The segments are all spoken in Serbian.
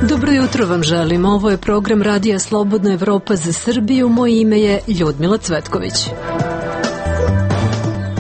Dobro jutro vam želim. Ovo je program Radija Slobodna Evropa za Srbiju. Moje ime je Ljudmila Cvetković.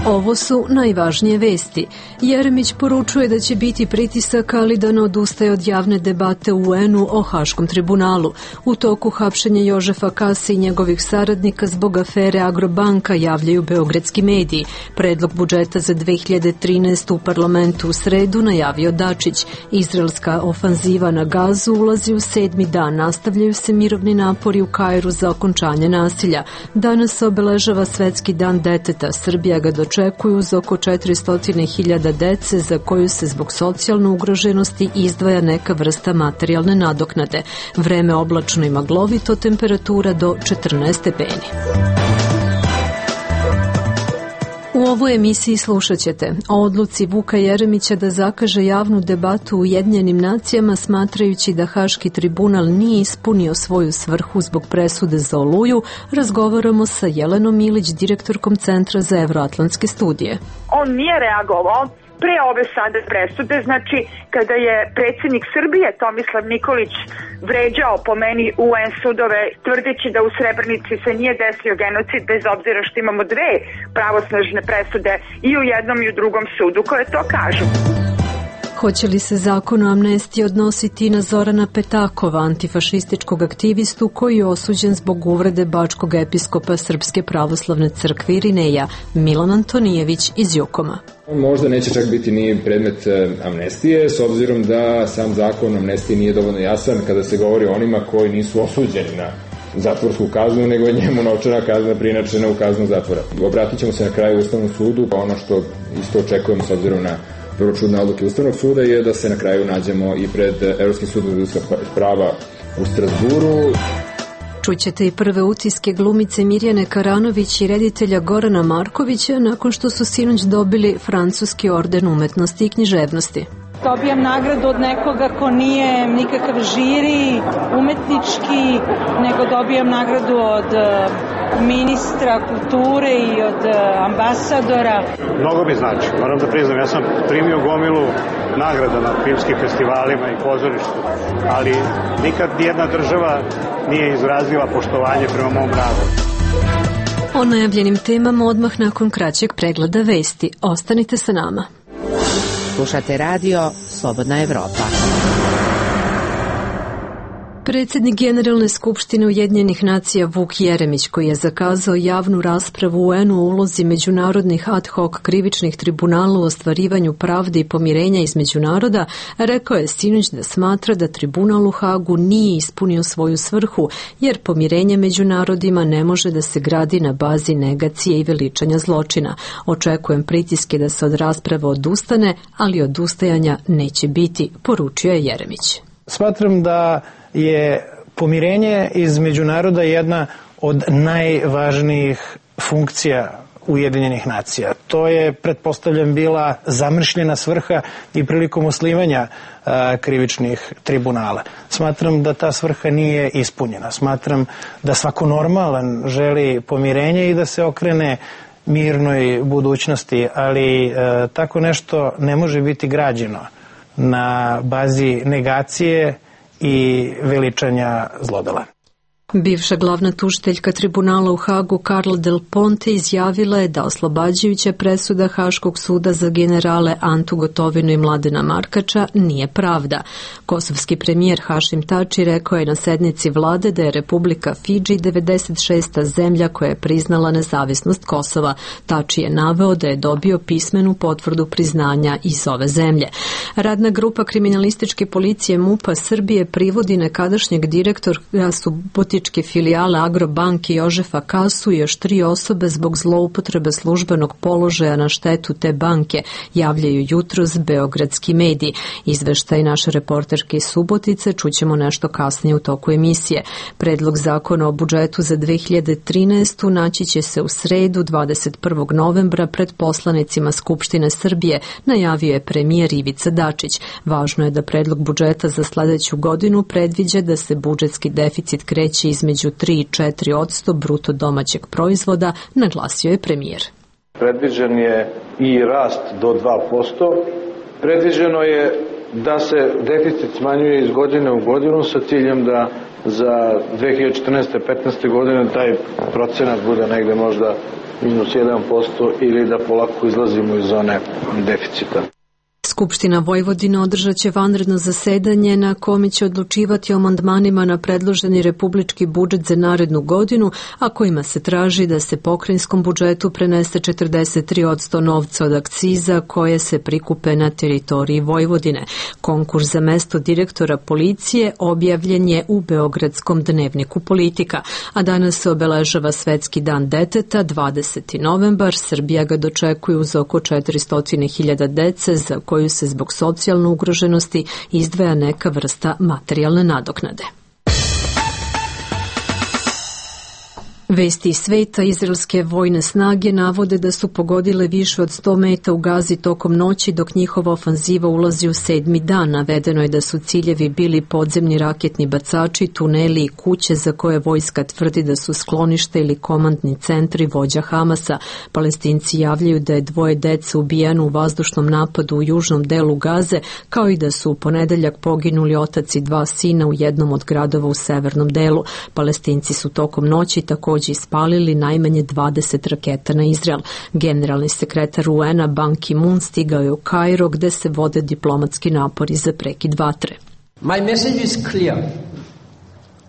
Ovo su najvažnije vesti. Jeremić poručuje da će biti pritisaka, ali da ne odustaje od javne debate u UN-u o Haškom tribunalu. U toku hapšenja Jožefa Kase i njegovih saradnika zbog afere Agrobanka, javljaju beogradski mediji. Predlog budžeta za 2013. u parlamentu u sredu najavio Dačić. Izraelska ofanziva na Gazu ulazi u 7. dan. Nastavljaju se mirovni napori u Kairu za okončanje nasilja. Danas se obeležava Svetski dan deteta. Srbija ga očekuju uz oko 400.000 dece za koju se zbog socijalne ugroženosti izdvaja neka vrsta materijalne nadoknade. Vreme oblačno i maglovito, temperatura do 14 stepeni. U ovoj emisiji slušat ćete o odluci Vuka Jeremića da zakaže javnu debatu u Ujedinjenim nacijama, smatrajući da Haški tribunal nije ispunio svoju svrhu zbog presude za Oluju. Razgovaramo sa Jelenom Ilić, direktorkom Centra za evroatlantske studije. On nije reagovao pre ove sada presude, znači kada je predsjednik Srbije Tomislav Nikolić vređao po meni UN sudove tvrdeći da u Srebrenici se nije desio genocid, bez obzira što imamo dve pravosnažne presude i u jednom i u drugom sudu koje to kažu. Hoće li se zakon o amnestiji odnositi na Zorana Petakova, antifašističkog aktivistu koji je osuđen zbog uvrede bačkog episkopa Srpske pravoslavne crkve Irineja? Milan Antonijević iz Jukoma. Možda neće čak biti ni predmet amnestije, s obzirom da sam zakon o amnestiji nije dovoljno jasan kada se govori o onima koji nisu osuđeni na zatvorsku kaznu, nego je njemu novčana kazna prinačena u kaznu zatvora. Obratit ćemo se na kraju Ustavnom sudu, pa ono što isto očekujemo s obzirom na vrlo čudne odluke Ustavnog suda je da se na kraju nađemo i pred Evropskim sudom za ljudska prava u Strasburu. Čućete i prve utiske glumice Mirjane Karanović i reditelja Gorana Markovića nakon što su sinoć dobili francuski orden umetnosti i književnosti. Dobijam nagradu od nekoga ko nije nikakav žiri, umetnički, nego dobijam nagradu od ministra kulture i od ambasadora. Mnogo mi znači, moram da priznam, ja sam primio gomilu nagrada na filmskim festivalima i pozorištu, ali nikad nijedna država nije izrazila poštovanje prema mom radu. O najavljenim temama odmah nakon kraćeg pregleda vesti. Ostanite sa nama. Slušate radio Slobodna Evropa. Predsjednik Generalne skupštine Ujedinjenih nacija Vuk Jeremić, koji je zakazao javnu raspravu u UN-u o ulozi međunarodnih ad hoc krivičnih tribunala u ostvarivanju pravde i pomirenja između naroda, rekao je sinoć da smatra da tribunal u Hagu nije ispunio svoju svrhu, jer pomirenje među narodima ne može da se gradi na bazi negacije i veličanja zločina. Očekujem pritiske da se od rasprave odustane, ali odustajanja neće biti, poručio je Jeremić. Smatram da je pomirenje između naroda jedna od najvažnijih funkcija Ujedinjenih nacija. To je, pretpostavljam, bila zamršljena svrha i prilikom osnivanja krivičnih tribunala. Smatram da ta svrha nije ispunjena. Smatram da svako normalan želi pomirenje i da se okrene mirnoj budućnosti, ali tako nešto ne može biti građeno na bazi negacije i veličanja zlodela. Bivša glavna tužiteljka tribunala u Hagu Carla Del Ponte izjavila je da oslobađajuća presuda Haškog suda za generale Antu Gotovinu i Mladena Markača nije pravda. Kosovski premijer Hašim Tači rekao je na sednici vlade da je Republika Fidži 96. zemlja koja je priznala nezavisnost Kosova. Tači je naveo da je dobio pismenu potvrdu priznanja iz ove zemlje. Radna grupa kriminalističke policije MUP-a Srbije privodi nekadašnjeg direktora subotičke filijale Agrobanke Jožefa Kasu i još 3 osobe zbog zloupotrebe službenog položaja na štetu te banke, javljaju jutros beogradski mediji. Izveštaj naše reporterke iz Subotice čućemo nešto kasnije u toku emisije. Predlog zakona o budžetu za 2013. naći će se u sredu 21. novembra pred poslanicima Skupštine Srbije, najavio je premijer Ivica Dačić. Važno je da predlog budžeta za sledeću godinu predviđa da se budžetski deficit kreće između 3 i 4% bruto domaćeg proizvoda, naglasio je premijer. Predviđen je i rast do 2%. Predviđeno je da se deficit smanjuje iz godine u godinu sa ciljem da za 2014-15. godine taj procenat bude negde možda minus 1% ili da polako izlazimo iz zone deficita. Skupština Vojvodine održat će vanredno zasedanje na kome će odlučivati o amandmanima na predloženi republički budžet za narednu godinu, a kojima se traži da se pokrajinskom budžetu prenese 43% novca od akciza koje se prikupe na teritoriji Vojvodine. Konkurs za mesto direktora policije objavljen je u Beogradskom dnevniku Politika, a danas se obeležava Svetski dan deteta, 20. novembar. Srbija ga dočekuje uz oko 400.000 dece za koju se zbog socijalne ugroženosti izdvaja neka vrsta materijalne nadoknade. Vesti iz sveta, izraelske vojne snage navode da su pogodile više od 100 meta u Gazi tokom noći dok njihova ofanziva ulazi u 7. dan. Navedeno je da su ciljevi bili podzemni raketni bacači, tuneli i kuće za koje vojska tvrdi da su sklonište ili komandni centri vođa Hamasa. Palestinci javljaju da je 2 dece ubijeno u vazdušnom napadu u južnom delu Gaze, kao i da su u ponedeljak poginuli otac i 2 sina u jednom od gradova u severnom delu. Palestinci su tokom noći također ispalili najmanje 20 raketa na Izrael. Generalni sekretar UN-a Ban Ki-moon stigao je u Kairo gde se vode diplomatski napori za prekid vatre.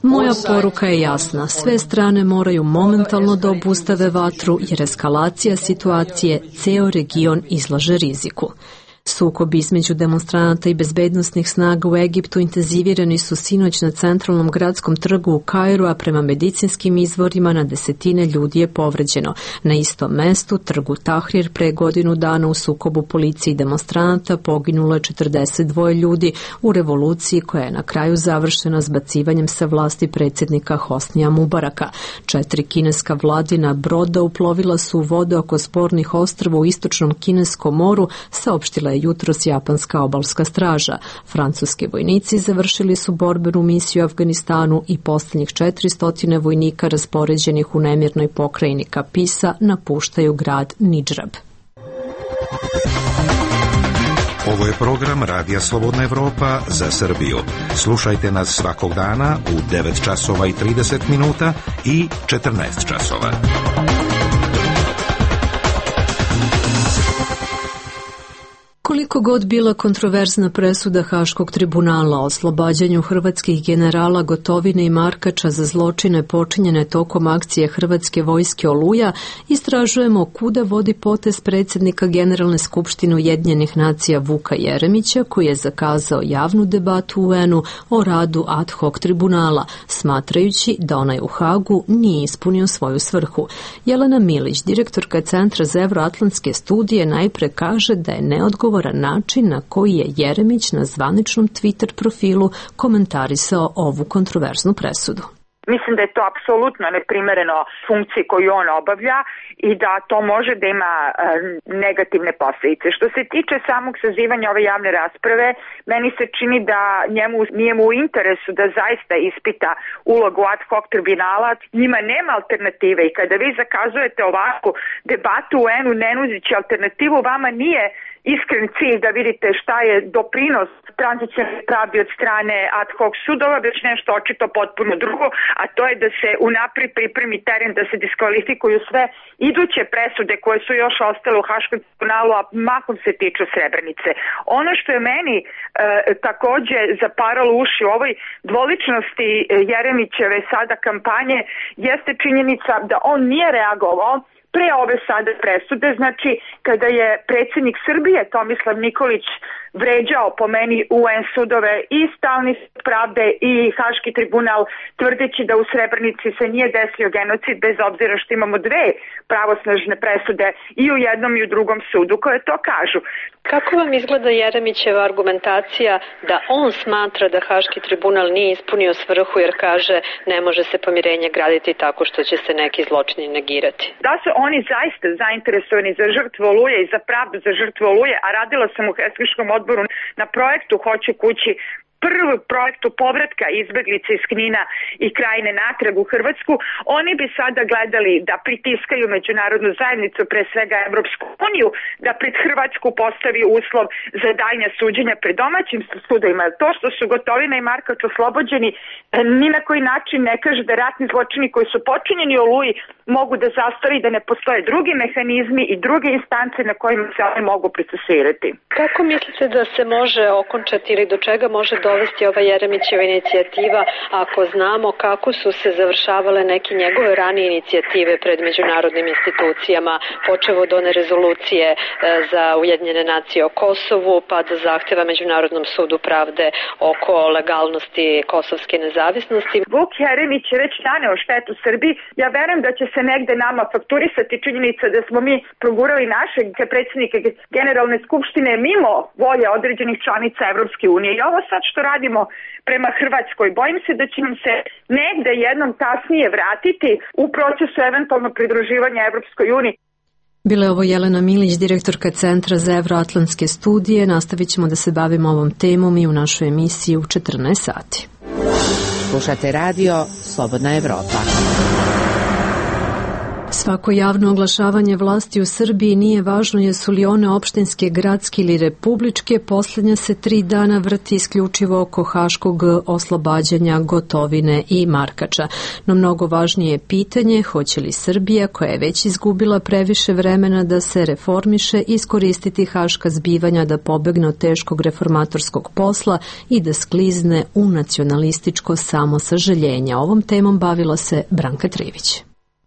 Moja poruka je jasna. Sve strane moraju momentalno da obustave vatru jer eskalacija situacije ceo region izlaže riziku. Sukobi između demonstranata i bezbednosnih snaga u Egiptu intenzivirani su sinoć na centralnom gradskom trgu u Kairu, a prema medicinskim izvorima na desetine ljudi je povređeno. Na istom mestu, trgu Tahrir, pre godinu dana u sukobu policije i demonstranata poginulo je 42 ljudi u revoluciji koja je na kraju završena zbacivanjem sa vlasti predsjednika Hosnija Mubaraka. 4 kineska vladina broda uplovila su u vode oko spornih ostrva u istočnom Kineskom moru, saopštila je jutros japanska obalska straža. Francuski vojnici završili su borbenu misiju u Afganistanu i posljednjih 400 vojnika raspoređenih u nemirnoj pokrajini Kapisa napuštaju grad Nidžrab. Ovo je program Radija Slobodna Evropa za Srbiju. Slušajte nas svakog dana u 9 časova i 30 minuta i 14 časova. Koliko god bila kontroverzna presuda Haškog tribunala o oslobađanju hrvatskih generala Gotovine i Markača za zločine počinjene tokom akcije Hrvatske vojske Oluja, istražujemo kuda vodi potez predsjednika Generalne skupštine Ujedinjenih nacija Vuka Jeremića, koji je zakazao javnu debatu u UN-u o radu ad hoc tribunala, smatrajući da onaj u Hagu nije ispunio svoju svrhu. Jelena Milić, direktorka Centra za evroatlantske studije, najpre kaže da je neodgovoran način na koji je Jeremić na zvaničnom Twitter profilu komentarisao ovu kontroverznu presudu. Mislim da je to apsolutno neprimereno funkciji koju on obavlja i da to može da ima negativne posljedice. Što se tiče samog sazivanja ove javne rasprave, meni se čini da nije mu u interesu da zaista ispita ulogu ad hoc tribunala. Njima nema alternative i kada vi zakazujete ovakvu debatu u UN-u ne nudeći alternativu, vama nije iskren cilj da vidite šta je doprinos tranzicionalne pravde od strane ad hoc sudova, već nešto očito potpuno drugo, a to je da se unaprijed pripremi teren da se diskvalifikuju sve iduće presude koje su još ostale u Haškom tribunalu, a mahom se tiču Srebrenice. Ono što je meni takođe zaparalo uši u ovoj dvoličnosti Jeremićeve sada kampanje jeste činjenica da on nije reagovao pre ove sada presude, znači kada je predsjednik Srbije Tomislav Nikolić vređao po meni UN sudove i Stalni sud pravde i Haški tribunal, tvrdeći da u Srebrenici se nije desio genocid, bez obzira što imamo 2 pravosnažne presude i u jednom i u drugom sudu koje to kažu. Kako vam izgleda Jeremićeva argumentacija da on smatra da Haški tribunal nije ispunio svrhu jer kaže ne može se pomirenje graditi tako što će se neki zločini negirati? Da su oni zaista zainteresovani za žrtvu Oluje i za pravdu za žrtvu Oluje, a radila sam u Helsinškom odboru na projektu Hoću kući, prvu projektu povratka izbeglica iz Knina i Krajine natrag u Hrvatsku, oni bi sada gledali da pritiskaju međunarodnu zajednicu, pre svega Evropsku uniju, da pred Hrvatsku postavi uslov za daljnja suđenja pred domaćim sudovima. To što su Gotovina i Markač oslobođeni ni na koji način ne kaže da ratni zločini koji su počinjeni u Oluji mogu da zastari, da ne postoje drugi mehanizmi i druge instance na kojima se oni mogu procesuirati. Kako mislite da se može okončati ili do čega može dovesti ova Jeremićeva inicijativa ako znamo kako su se završavale neke njegove ranije inicijative pred međunarodnim institucijama, počev od one rezolucije za Ujedinjene nacije o Kosovu, pa do zahteva Međunarodnom sudu pravde oko legalnosti kosovske nezavisnosti? Vuk Jeremić je već naneo štetu Srbiji. Ja verujem da će se negde nama fakturisati činjenica da smo mi progurali našeg predsjednika Generalne skupštine mimo volje određenih članica Evropske unije. I ovo sad što radimo prema Hrvatskoj, bojim se da će nam se negde jednom kasnije vratiti u procesu eventualno pridruživanja Evropskoj uniji. Bila je ovo Jelena Milić, direktorka Centra za evroatlantske studije. Nastavit ćemo da se bavimo ovom temom i u našoj emisiji u 14 sati. Slušate radio Slobodna Evropa. Svako javno oglašavanje vlasti u Srbiji nije važno jesu li one opštinske, gradske ili republičke, posljednja se 3 dana vrti isključivo oko haškog oslobađanja Gotovine i Markača. No mnogo važnije je pitanje hoće li Srbija, koja je već izgubila previše vremena da se reformiše, iskoristiti haška zbivanja da pobegne od teškog reformatorskog posla i da sklizne u nacionalističko samosažaljenje. Ovom temom bavila se Branka Trivić.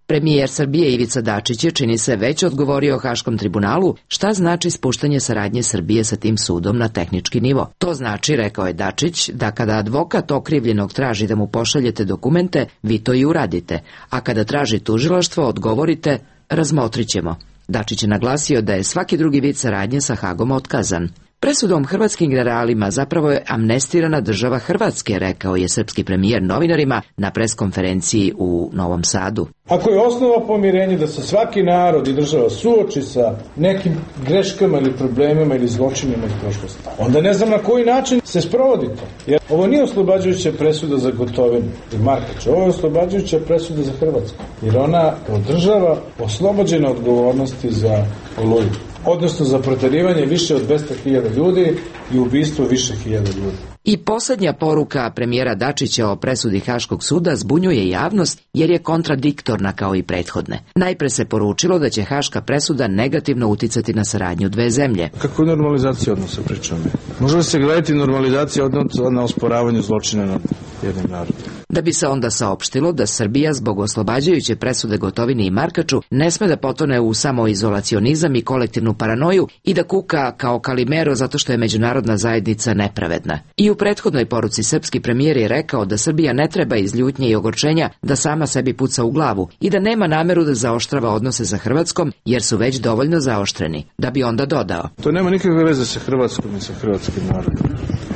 Premijer Srbije Ivica Dačić je, čini se, već odgovorio Haškom tribunalu šta znači spuštanje saradnje Srbije sa tim sudom na tehnički nivo. To znači, rekao je Dačić, da kada advokat okrivljenog traži da mu pošaljete dokumente, vi to i uradite, a kada traži tužilaštvo, odgovorite, razmotrit ćemo. Dačić je naglasio da je svaki drugi vid saradnje sa Hagom otkazan. Presudom hrvatskim generalima zapravo je amnestirana država Hrvatske, rekao je srpski premijer novinarima na preskonferenciji u Novom Sadu. Ako je osnova pomirenja da se svaki narod i država suoči sa nekim greškama ili problemima ili zločinima iz prošlosti, onda ne znam na koji način se sprovodi to. Jer ovo nije oslobađajuća presuda za Gotovinu i Markača, ovo je oslobađajuća presuda za Hrvatsku. Jer ona kao država oslobođena odgovornosti za Oluju, odnosno za proterivanje više od 200.000 ljudi i ubistvo više hiljada ljudi. I posljednja poruka premijera Dačića o presudi Haškog suda zbunjuje javnost jer je kontradiktorna kao i prethodne. Najpre se poručilo da će Haška presuda negativno uticati na saradnju dve zemlje. Kako normalizacija odnosa pričamo? Može li se gledati normalizacija odnosa na osporavanju zločina nad jednim narodom? Da bi se onda saopštilo da Srbija zbog oslobađajuće presude Gotovini i Markaču ne sme da potone u samoizolacionizam i kolektivnu paranoju i da kuka kao Kalimero zato što je međunarodna zajednica nepravedna. I u prethodnoj poruci srpski premijer je rekao da Srbija ne treba iz ljutnje i ogorčenja da sama sebi puca u glavu i da nema nameru da zaoštrava odnose sa Hrvatskom jer su već dovoljno zaoštreni. Da bi onda dodao: to nema nikakve veze sa Hrvatskom i sa hrvatskim narodom.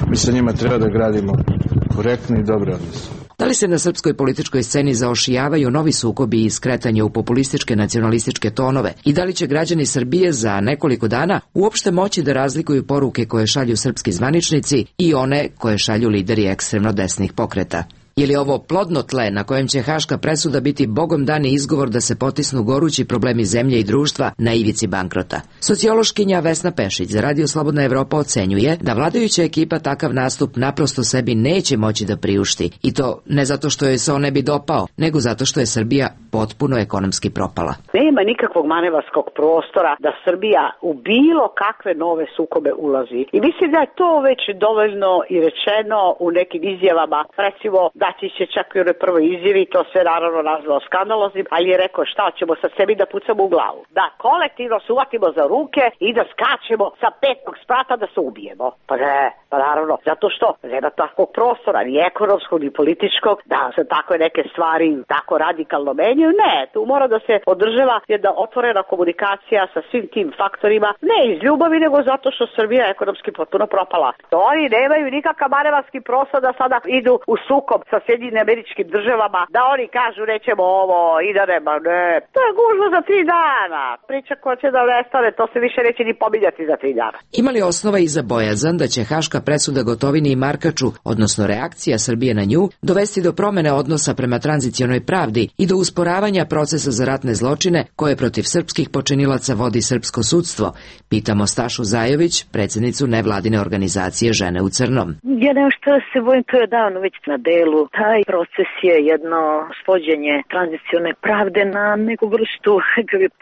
Mi sa njima treba da gradimo korektne i dobre odnose. Da li se na srpskoj političkoj sceni zaošijavaju novi sukobi i skretanje u populističke nacionalističke tonove i da li će građani Srbije za nekoliko dana uopšte moći da razlikuju poruke koje šalju srpski zvaničnici i one koje šalju lideri ekstremno desnih pokreta? Je li ovo plodno tle na kojem će haška presuda biti bogom dani izgovor da se potisnu gorući problemi zemlje i društva na ivici bankrota? Sociološkinja Vesna Pešić za Radio Slobodna Evropa ocenjuje da vladajuća ekipa takav nastup naprosto sebi neće moći da priušti, i to ne zato što joj se on ne bi dopao, nego zato što je Srbija potpuno ekonomski propala. Nema nikakvog manevarskog prostora da Srbija u bilo kakve nove sukobe ulazi. I mislim da je to već dovoljno i rečeno u nekim izjavama. Recimo, Dačić je čak i u prvoj izjavi to sve naravno nazvao skandaloznim, ali je rekao šta ćemo sa sebi da pucamo u glavu. Da kolektivno se uvatimo za ruke i da skačemo sa 5. sprata da se ubijemo. Pa ne, pa naravno, zato što nema takvog prostora, ni ekonomskog, ni političkog, da se takve neke stvari tako radikalno menjaju. Ne, tu mora da se održava jedna otvorena komunikacija sa svim tim faktorima, ne iz ljubavi, nego zato što Srbija je ekonomski potpuno propala. To oni nemaju nikakav manevarski prostor da sada idu u sukob sa sa Sjedinjenim Američkim Državama, da oni kažu nećemo ovo i da nema, ne. To je gužva za 3 dana. Priča koja će da nestane, to se više neće ni pominjati za 3 dana. Ima li osnova i za bojazan da će haška presuda Gotovini i Markaču, odnosno reakcija Srbije na nju, dovesti do promene odnosa prema tranzicionoj pravdi i do usporavanja procesa za ratne zločine koje protiv srpskih počinilaca vodi srpsko sudstvo? Pitamo Stašu Zajović, predsjednicu nevladine organizacije Žene u crnom. Ja nešto se bojim, to je davno već na delu. Taj proces je jedno svođenje tranzicione pravde na neku vrstu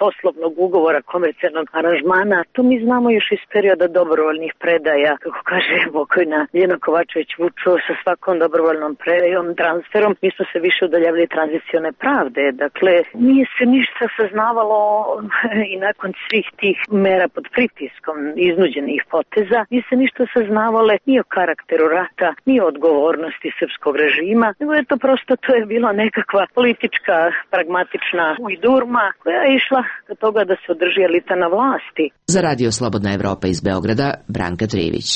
poslovnog ugovora, komercijalnog aranžmana. To mi znamo još iz perioda dobrovoljnih predaja, kako kaže pokojna Ljena Kovačević Vučo, sa svakom dobrovoljnom predajom, transferom, mi smo se više udaljavali tranzicione pravde. Dakle, nije se ništa saznavalo i nakon svih tih mera pod pritiskom iznuđenih poteza, nije se ništa saznavale ni o karakteru rata, ni o odgovornosti srpskog režima, nego je to prosto, to je bila nekakva politička, pragmatična ujdurma koja je išla do toga da se održi elita na vlasti. Za Radio Slobodna Evropa iz Beograda, Branka Trivić.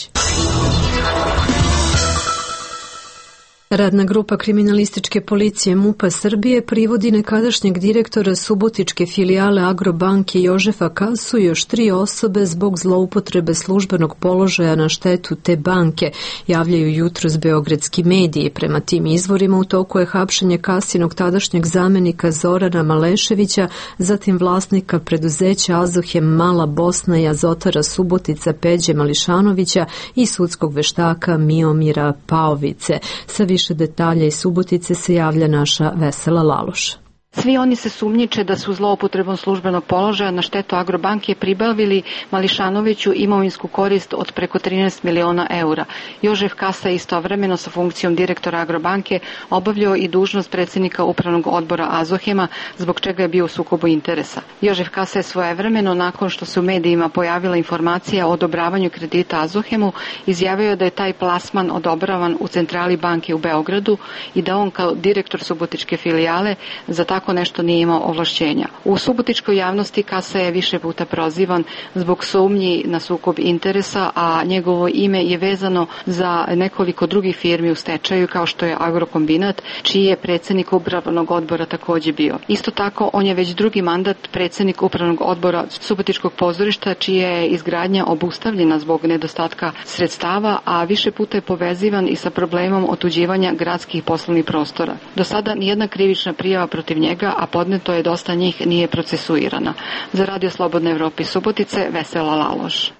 Radna grupa kriminalističke policije MUP-a Srbije privodi nekadašnjeg direktora subotičke filijale Agrobanke Jožefa Kasu i još 3 osobe zbog zloupotrebe službenog položaja na štetu te banke, javljaju jutros beogradski mediji. Prema tim izvorima u toku je hapšenje Kasinog tadašnjeg zamenika Zorana Maleševića, zatim vlasnika preduzeća Azohem Mala Bosna i Azotara Subotica Peđe Mališanovića i sudskog veštaka Miomira Paovice. Sa više detalja iz Subotice se javlja naša Vesela Laloš. Svi oni se sumnjiče da su zloupotrebom službenog položaja na štetu Agrobanke pribavili Mališanoviću imovinsku korist od preko 13 miliona eura. Jožef Kasa istovremeno sa funkcijom direktora Agrobanke obavljao i dužnost predsjednika upravnog odbora Azohema, zbog čega je bio u sukobu interesa. Jožef Kasa je svojevremeno, nakon što se u medijima pojavila informacija o odobravanju kredita Azohemu, izjavio da je taj plasman odobravan u centrali banke u Beogradu i da on kao direktor subotičke filijale za tako nešto nije imao ovlašćenja. U subotičkoj javnosti Kasa je više puta prozivan zbog sumnji na sukob interesa, a njegovo ime je vezano za nekoliko drugih firmi u stečaju, kao što je Agrokombinat, čiji je predsjednik upravnog odbora također bio. Isto tako, on je već drugi mandat predsjednik upravnog odbora Subotičkog pozorišta, čija je izgradnja obustavljena zbog nedostatka sredstava, a više puta je povezivan i sa problemom otuđivanja gradskih poslovnih prostora. Do sada nijedna krivična prijava protiv njega, a podneto je dosta njih, nije procesuirana. Za Radio Slobodne Evrope Subotice, Vesela Laloš.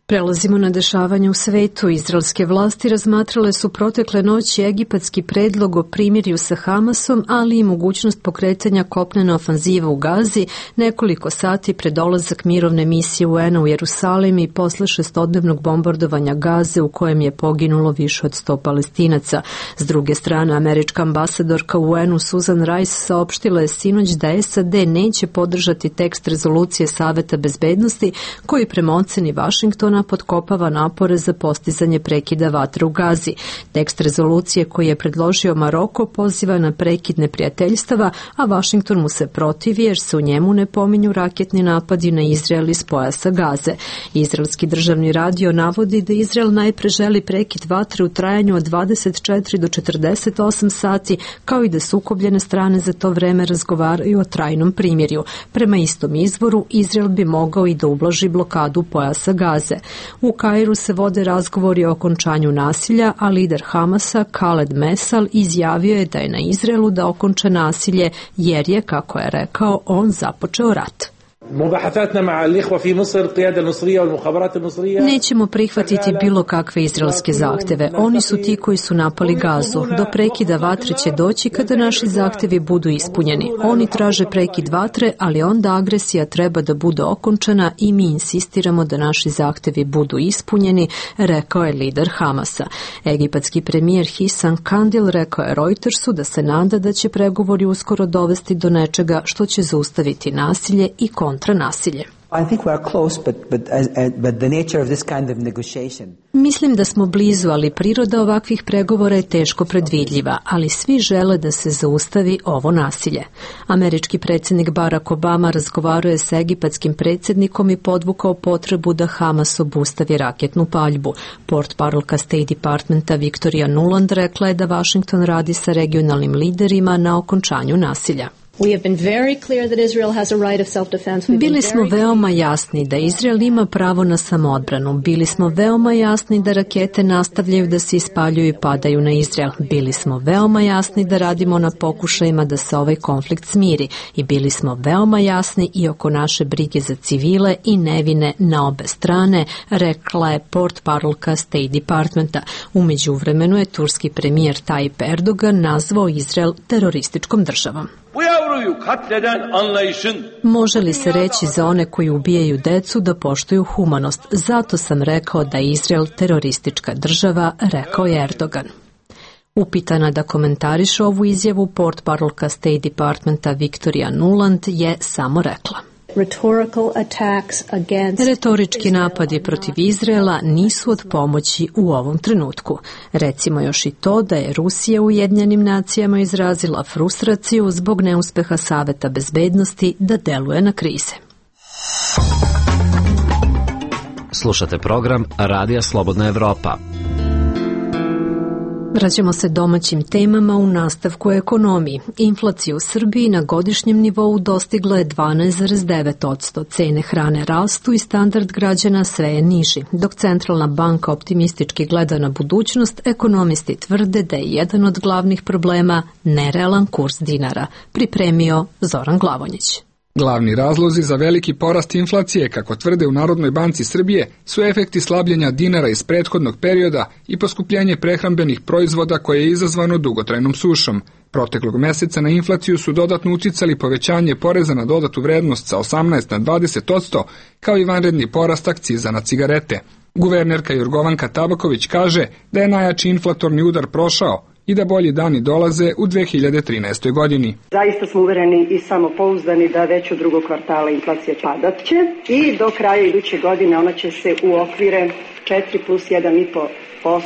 Prelazimo na dešavanje u svetu. Izraelske vlasti razmatrale su protekle noći egipatski predlog o primirju sa Hamasom, ali i mogućnost pokretanja kopnene ofanzive u Gazi nekoliko sati pred dolazak mirovne misije UN-a u Jerusalim i posle 6-dnevnog bombardovanja Gaze u kojem je poginulo više od 100 Palestinaca. S druge strane, američka ambasadorka u UN-u Susan Rice saopštila je sinoć da SAD neće podržati tekst rezolucije Saveta bezbednosti koji prema oceni Vašingtona potkopava napore za postizanje prekida vatre u Gazi. Tekst rezolucije koji je predložio Maroko poziva na prekid neprijateljstava, a Vašington mu se protivi jer se u njemu ne pominju raketni napadi na Izrael iz pojasa Gaze. Izraelski državni radio navodi da Izrael najpre želi prekid vatre u trajanju od 24 do 48 sati, kao i da sukobljene strane za to vreme razgovaraju o trajnom primirju. Prema istom izvoru, Izrael bi mogao i da ublaži blokadu pojasa Gaze. U Kairu se vode razgovori o okončanju nasilja, a lider Hamasa, Khaled Mesal, izjavio je da je na Izraelu da okonča nasilje jer je, kako je rekao, on započeo rat. Nećemo prihvatiti bilo kakve izraelske zahteve. Oni su ti koji su napali Gazu. Do prekida vatre će doći kada naši zahtevi budu ispunjeni. Oni traže prekid vatre, ali onda agresija treba da bude okončana i mi insistiramo da naši zahtevi budu ispunjeni, rekao je lider Hamasa. Egipatski premijer Hisan Kandil rekao je Reutersu da se nada da će pregovori uskoro dovesti do nečega što će zaustaviti nasilje i kontranasilje. Mislim da smo blizu, ali priroda ovakvih pregovora je teško predvidljiva, ali svi žele da se zaustavi ovo nasilje. Američki predsjednik Barack Obama razgovarao je sa egipatskim predsjednikom i podvukao potrebu da Hamas obustavi raketnu paljbu. Portparolka State Departmenta Victoria Nuland rekla je da Washington radi sa regionalnim liderima na okončanju nasilja. Bili smo veoma jasni da Izrael ima pravo na samoodbranu. Bili smo veoma jasni da rakete nastavljaju da se ispaljuju i padaju na Izrael. Bili smo veoma jasni da radimo na pokušajima da se ovaj konflikt smiri. I bili smo veoma jasni i oko naše brige za civile i nevine na obe strane, rekla je portparolka State Departmenta. U međuvremenu je turski premijer Tayyip Erdogan nazvao Izrael terorističkom državom. Može li se reći za one koji ubijaju decu da poštuju humanost? Zato sam rekao da je Izrael teroristička država, rekao je Erdogan. Upitana da komentariše ovu izjavu, portparolka State Departmenta Victoria Nuland je samo rekla: retorički napadi protiv Izraela nisu od pomoći u ovom trenutku. Recimo još i to da je Rusija u Ujedinjenim nacijama izrazila frustraciju zbog neuspeha Saveta bezbednosti da deluje na krize. Slušate program Radija Slobodna Evropa. Vraćamo se domaćim temama u nastavku ekonomiji. Inflacija u Srbiji na godišnjem nivou dostigla je 12,9%. Cene hrane rastu i standard građana sve je niži. Dok Centralna banka optimistički gleda na budućnost, ekonomisti tvrde da je jedan od glavnih problema nerealan kurs dinara. Pripremio Zoran Glavonjić. Glavni razlozi za veliki porast inflacije, kako tvrde u Narodnoj banci Srbije, su efekti slabljenja dinara iz prethodnog perioda i poskupljenje prehrambenih proizvoda koje je izazvano dugotrajnom sušom. Proteklog meseca na inflaciju su dodatno uticali povećanje poreza na dodatu vrednost sa 18 na 20%, kao i vanredni porast akciza na cigarete. Guvernerka Jorgovanka Tabaković kaže da je najjači inflatorni udar prošao i da bolji dani dolaze u 2013. godini. Zaista smo uvereni i samopouzdani da već u drugog kvartala inflacija padat će i do kraja iduće godine ona će se u okvire 4 plus 1,5%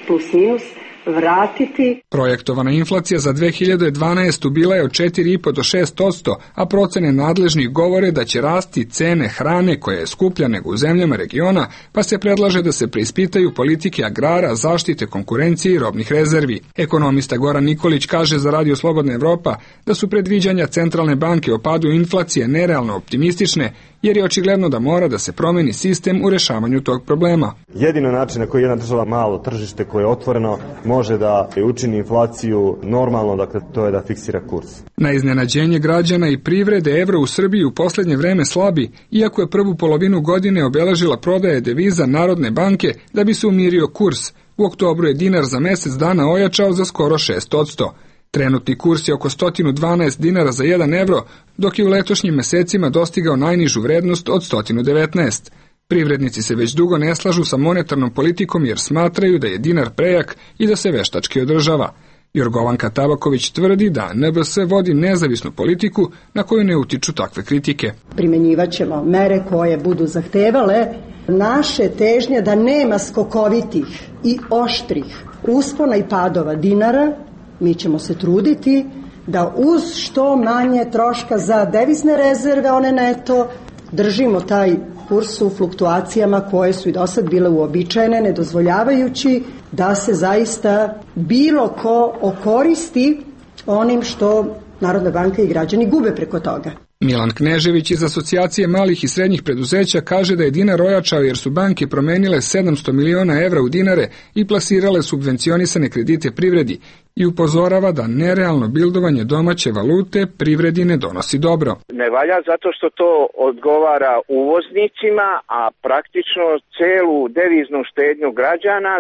plus minus vratiti. Projektovana inflacija za 2012. bila je od 4,5 do 6%, a procene nadležnih govore da će rasti cene hrane koja je skuplja nego u zemljama regiona, pa se predlaže da se preispitaju politike agrara, zaštite konkurencije i robnih rezervi. Ekonomista Goran Nikolić kaže za Radio Slobodna Evropa da su predviđanja Centralne banke o padu inflacije nerealno optimistične, jer je očigledno da mora da se promeni sistem u rešavanju tog problema. Jedino način na koji jedna država, malo tržište koje je otvoreno, može da učini inflaciju normalno, dakle to je da fiksira kurs. Na iznenađenje građana i privrede, evro u Srbiji u poslednje vreme slabi, iako je prvu polovinu godine obeležila prodaje deviza Narodne banke da bi se umirio kurs. U oktobru je dinar za mesec dana ojačao za skoro 6%. Trenutni kurs je oko 112 dinara za 1 evro, dok je u letošnjim mesecima dostigao najnižu vrednost od 119. Privrednici se već dugo ne slažu sa monetarnom politikom jer smatraju da je dinar prejak i da se veštački održava. Jorgovanka Tabaković tvrdi da NBS vodi nezavisnu politiku na koju ne utiču takve kritike. Primenjivat ćemo mere koje budu zahtevale naše težnje da nema skokovitih i oštrih uspona i padova dinara. Mi ćemo se truditi da uz što manje troška za devizne rezerve, one neto, držimo taj kurs u fluktuacijama koje su i do sad bile uobičajene, ne dozvoljavajući da se zaista bilo ko okoristi onim što Narodna banka i građani gube preko toga. Milan Knežević iz Asocijacije malih i srednjih preduzeća kaže da je dinar ojačao jer su banke promenile 700 miliona evra u dinare i plasirale subvencionisane kredite privredi i upozorava da nerealno bildovanje domaće valute privredi ne donosi dobro. Ne valja zato što to odgovara uvoznicima, a praktično celu deviznu štednju građana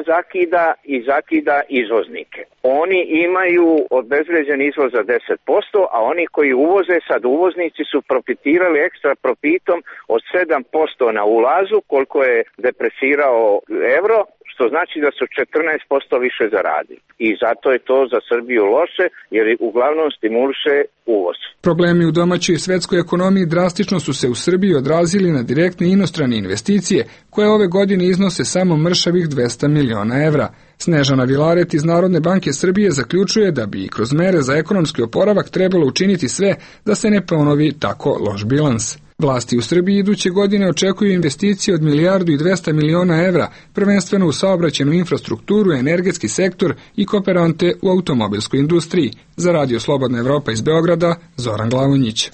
zakida izvoznike. Oni imaju obezvređen izvoz za 10%, a oni koji uvoze, sad uvoznici su profitirali ekstra profitom od 7% na ulazu, koliko je depresirao evro, što znači da su 14% više zaradili. I zato je to za Srbiju loše, jer uglavnom stimuliše uvoz. Problemi u domaćoj i svetskoj ekonomiji drastično su se u Srbiji odrazili na direktne inostrane investicije, koje ove godine iznose samo mršavih 200 miliona evra. Snežana Vilaret iz Narodne banke Srbije zaključuje da bi kroz mere za ekonomski oporavak trebalo učiniti sve da se ne ponovi tako loš bilans. Vlasti u Srbiji iduće godine očekuju investicije od 1.200 miliona evra, prvenstveno u saobraćajnu infrastrukturu, energetski sektor i kooperante u automobilskoj industriji. Za Radio Slobodna Evropa iz Beograda, Zoran Glavonjić.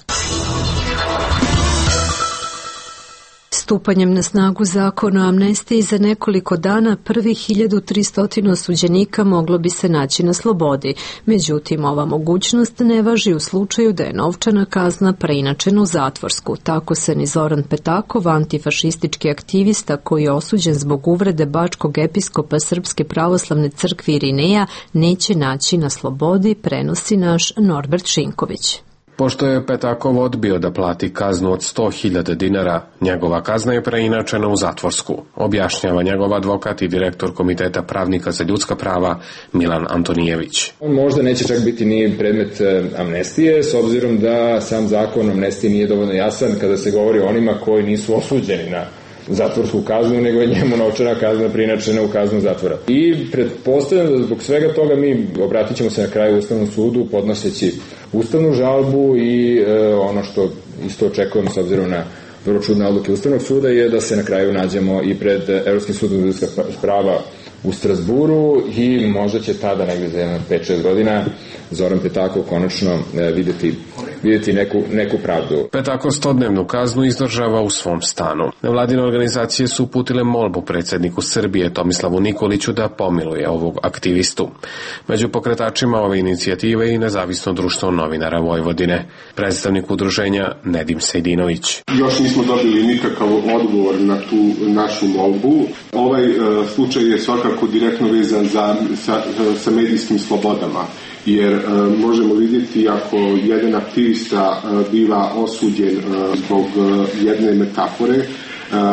Stupanjem na snagu zakona o amnestiji za nekoliko dana prvih 1300 osuđenika moglo bi se naći na slobodi. Međutim, ova mogućnost ne važi u slučaju da je novčana kazna preinačena u zatvorsku. Tako se ni Zoran Petakov, antifašistički aktivista koji je osuđen zbog uvrede bačkog episkopa Srpske pravoslavne crkve Irineja, neće naći na slobodi, prenosi naš Norbert Šinković. Pošto je Petakov odbio da plati kaznu od 100.000 dinara, njegova kazna je preinačena u zatvorsku, objašnjava njegov advokat i direktor Komiteta pravnika za ljudska prava Milan Antonijević. On možda neće čak biti ni predmet amnestije, s obzirom da sam zakon o amnestiji nije dovoljno jasan kada se govori o onima koji nisu osuđeni na zatvorsku kaznu, nego je njemu novčana kazna preinačena u kaznu zatvora. I pretpostavljam da zbog svega toga mi obratit ćemo se na kraju Ustavnom sudu podnoseći ustavnu žalbu i ono što isto očekujemo s obzirom na vrlo čudne odluke Ustavnog suda je da se na kraju nađemo i pred Evropskim sudom za ljudska prava u Strasburu i možda će tada negde za 5-6 godina Zoran Petakov konačno vidjeti neku pravdu. Petakov 100-dnevnu kaznu izdržava u svom stanu. Nevladine organizacije su uputile molbu predsjedniku Srbije Tomislavu Nikoliću da pomiluje ovog aktivistu. Među pokretačima ove inicijative i Nezavisno društvo novinara Vojvodine. Predstavnik udruženja Nedim Sejdinović. Još nismo dobili nikakav odgovor na tu našu molbu. Ovaj slučaj je svakako direktno vezan sa medijskim slobodama. Jer možemo vidjeti ako jedan aktivista biva osuđen zbog jedne metafore,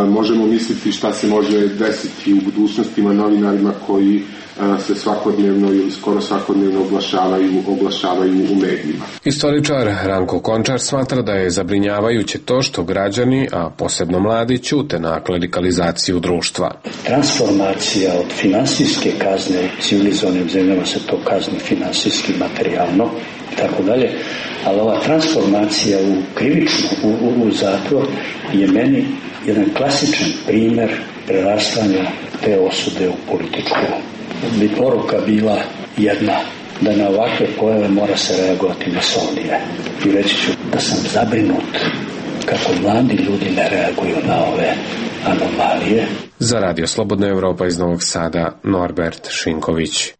možemo misliti šta se može desiti u budućnostima novinarima koji se svakodnevno ili skoro svakodnevno oglašavaju u medijima. Istoričar Ranko Končar smatra da je zabrinjavajuće to što građani, a posebno mladi, ćute na klerikalizaciju društva. Transformacija od finansijske kazne, u civilizovanim zemljama se to kazni finansijski, materijalno i tako dalje, ali ova transformacija u krivično, u zatvor je meni jedan klasičan primjer prerastanja te osude u političku. Bi poruka bila jedna, da na ovakve pojave mora se reagovati masovnije. I reći ću da sam zabrinut kako mladi ljudi ne reaguju na ove anomalije. Za Radio Slobodna Evropa iz Novog Sada, Norbert Šinković.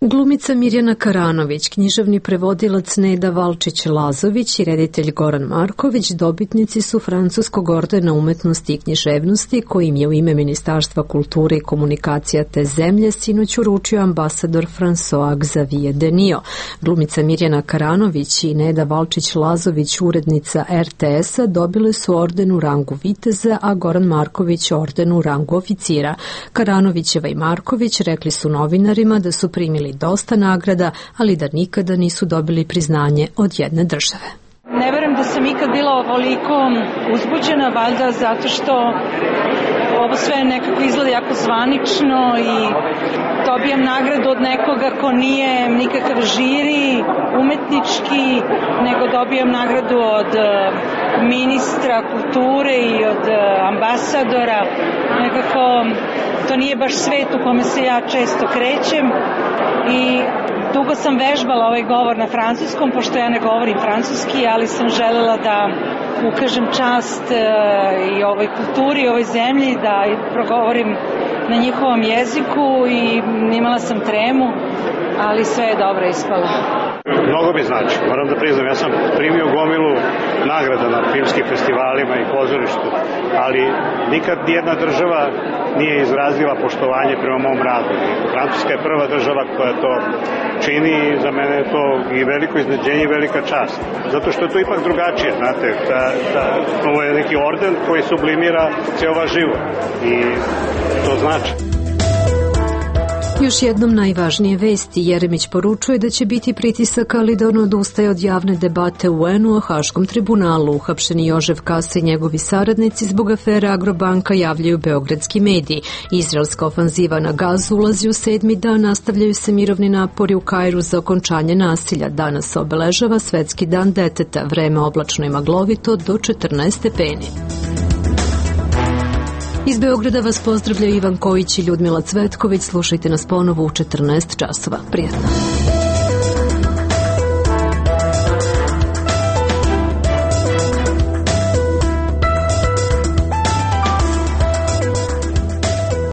Glumica Mirjana Karanović, književni prevodilac Neda Valčić-Lazović i reditelj Goran Marković dobitnici su Francuskog ordena umetnosti i književnosti kojim je u ime Ministarstva kulture i komunikacija te zemlje sinoć uručio ambasador François Xavier Denio. Glumica Mirjana Karanović i Neda Valčić-Lazović, urednica RTS-a, dobile su orden u rangu viteza, a Goran Marković orden u rangu oficira. Karanovićeva i Marković rekli su novinarima da su primili dosta nagrada, ali da nikada nisu dobili priznanje od jedne države. Ne verujem da sam ikad bila ovoliko uzbuđena, valjda zato što ovo sve nekako izgleda jako zvanično i dobijam nagradu od nekoga ko nije nikakav žiri, umetnički, nego dobijam nagradu od ministra kulture i od ambasadora. Nekako to nije baš svet u kome se ja često krećem i dugo sam vežbala ovaj govor na francuskom, pošto ja ne govorim francuski, ali sam želela da ukažem čast i ovoj kulturi, ovoj zemlji, da progovorim na njihovom jeziku i imala sam tremu, ali sve je dobro ispalo. Mnogo mi znači, moram da priznam, ja sam primio gomilu nagrada na filmskim festivalima i pozorištu, ali nikad nijedna država nije izrazila poštovanje prema mom radu. Francuska je prva država koja to čini i za mene je to i veliko iznenađenje i velika čast. Zato što je to ipak drugačije, znate, ovo je neki orden koji sublimira ceo vaš život i to znači. Još jednom najvažnije vesti. Jeremić poručuje da će biti pritisaka, ali da on odustaje od javne debate u UN-u o Haškom tribunalu. Uhapšeni Jožef Kasa i njegovi saradnici zbog afere Agrobanka, javljaju beogradski mediji. Izraelska ofanziva na Gazu ulazi u 7. dan, nastavljaju se mirovni napori u Kairu za okončanje nasilja. Danas se obeležava Svetski dan deteta, vreme oblačno i maglovito do 14 stepeni. Iz Beograda vas pozdravljaju Ivan Kojić i Ljudmila Cvetković. Slušajte nas ponovo u 14 časova. Prijatno.